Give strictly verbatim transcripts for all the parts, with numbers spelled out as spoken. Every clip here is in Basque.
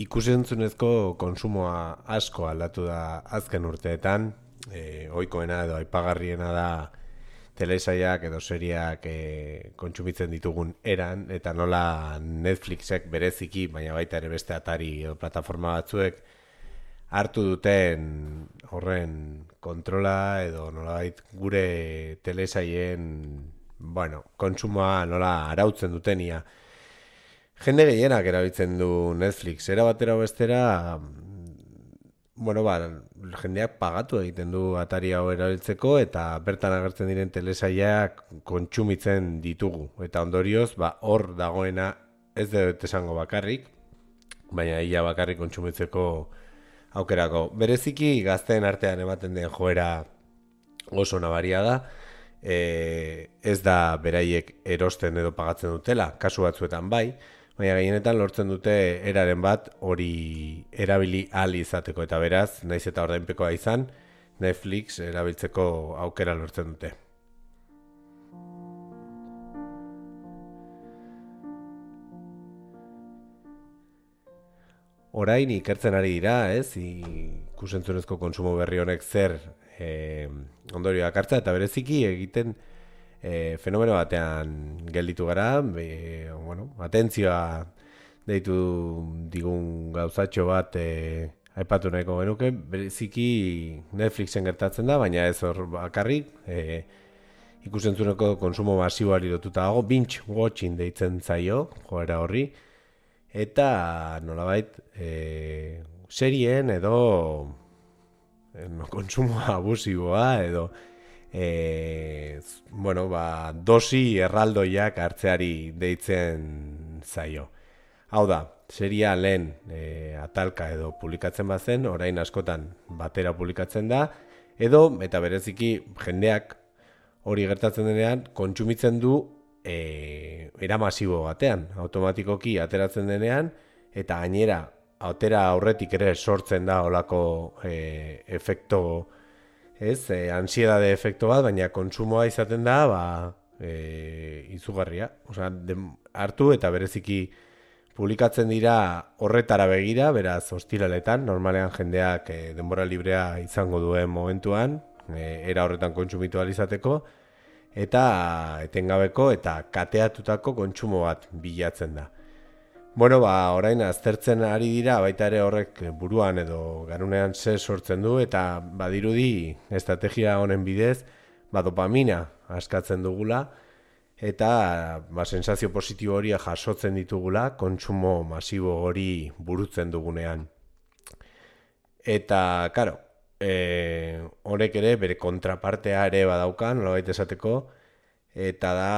Ikusentzunezko konsumoa asko aldatu da azken urteetan, e, ohikoena edo aipagarriena da telesailak edo seriak e, kontsumitzen ditugun eran, eta nola Netflixek bereziki, baina baita ere beste atari edo plataforma batzuek, hartu duten horren kontrola edo nolabait gure telesailen, bueno, kontsumoa nola arautzen dutenia. Jende gehienak erabiltzen du Netflix, era batera bestera, bueno, ba, jendeak pagatu egiten du atari hau erabiltzeko eta bertan agertzen diren telesailak kontsumitzen ditugu. Eta ondorioz, ba, hor dagoena ez dut esango bakarrik, baina ia bakarrik kontsumitzeko aukerako. Bereziki gazteen artean ematen den joera oso nabaria da, e, ez da beraiek erosten edo pagatzen dutela, kasu batzuetan bai, baina gehienetan lortzen dute eraren bat hori erabili ahal izateko, eta beraz, naiz eta ordainpekoa izan, Netflix erabiltzeko aukera lortzen dute. Orain ikertzen ari dira, ez, ikusentzunezko kontsumo berri honek zer e, ondorioak hartza, eta bereziki egiten E, fenomeno batean gelditu gara, e, bueno, atentzioa deitu digun gauzatxo bat e, aipatu nahiko genuke, bereziki Netflixen gertatzen da, baina ez hor bakarrik, e, ikusentzuneko konsumo masiboari lotuta dago, binge watching deitzen zaio, joera horri, eta nolabait e, serien edo e, konsumo abusiboa edo E, bueno, ba, dosi erraldoiak hartzeari deitzen zaio. Hau da, seria lehen e, atalka edo publikatzen bazen, orain askotan batera publikatzen da, edo, eta bereziki jendeak hori gertatzen denean, kontsumitzen du e, era masibo batean, automatikoki ateratzen denean, eta gainera, atera aurretik ere sortzen da olako e, efekto ez, e, ansiedade efektu bat, baina kontsumoa izaten da, ba, e, izugarria. Osea, hartu eta bereziki publikatzen dira horretara begira, beraz, ostiraletan, normalean jendeak e, denbora librea izango duen momentuan, e, era horretan kontsumitu ahal izateko, eta etengabeko eta kateatutako kontsumo bat bilatzen da. Bueno, ba, orain aztertzen ari dira, baita ere horrek buruan edo garunean ze sortzen du, eta badirudi estrategia honen bidez, ba, dopamina askatzen dugula, eta ba, sensazio positibo hori jasotzen ditugula, kontsumo masibo hori burutzen dugunean. Eta, karo, e, horrek ere bere kontrapartea ere badaukan, nolabait esateko, eta da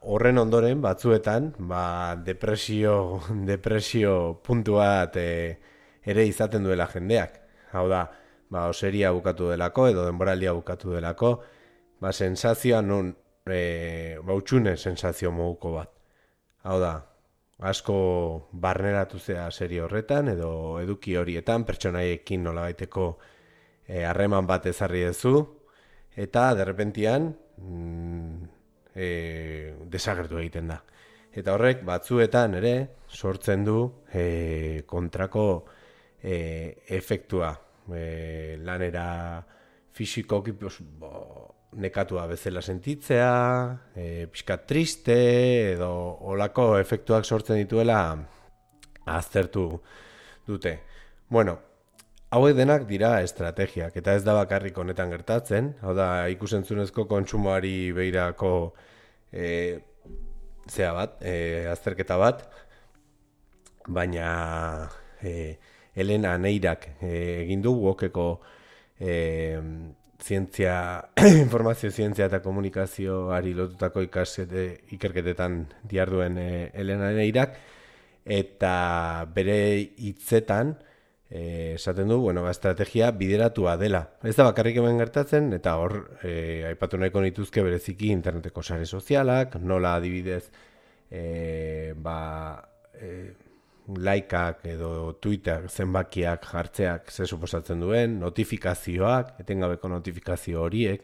horren ondoren batzuetan ba, depresio, depresio puntu bat e, ere izaten duela jendeak. Hau da, ba, oseria bukatu delako edo denboraldia bukatu delako, ba, sensazioa nun, e, ba, utxune sensazio moduko bat. Hau da, asko barneratu zea serie horretan edo eduki horietan, pertsonaiekin nolabaiteko harreman bat ezarri duzu, eta derrepentian mm, E, desagertu egiten da. Eta horrek batzuetan ere sortzen du e, kontrako e, efektua. E, lanera fisikoki bo, nekatua bezala sentitzea, e, pixkat triste edo olako efektuak sortzen dituela aztertu dute. Bueno, hauek denak dira estrategiak, eta ez da bakarrik honetan gertatzen, hau da ikusentzunezko kontsumoari behirako e, zea bat, e, azterketa bat, baina e, Elena Neirak e, egin du wokeko e, zientzia, informazio zientzia eta komunikazioari lotutako ikaskete, ikerketetan diarduen e, Elena Neirak, eta bere hitzetan, Eh, esaten du, bueno, ba, estrategia bideratua dela. Ez da bakarrik hemen gertatzen, eta hor, eh, aipatu nahiko nituzke bereziki interneteko sare sozialak, nola adibidez, eh, ba, eh, likeak edo Twitter zenbakiak jartzeak ze suposatzen duen, notifikazioak, etengabeko notifikazio horiek,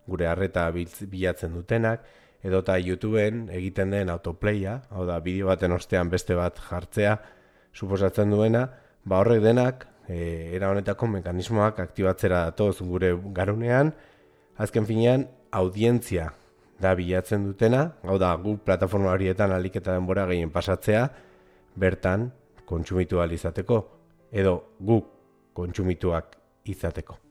gure harreta bilatzen dutenak, edota YouTubeen egiten den autoplaya, hau da, bideo baten ostean beste bat jartzea, suposatzen duena, ba horrek denak, e, era honetako mekanismoak aktibatzera datoz gure garunean, azken finean, audientzia da bilatzen dutena, hau da, gu plataforma horietan ahalik eta denbora gehien pasatzea, bertan kontsumitu ahal izateko, edo guk kontsumituak izateko.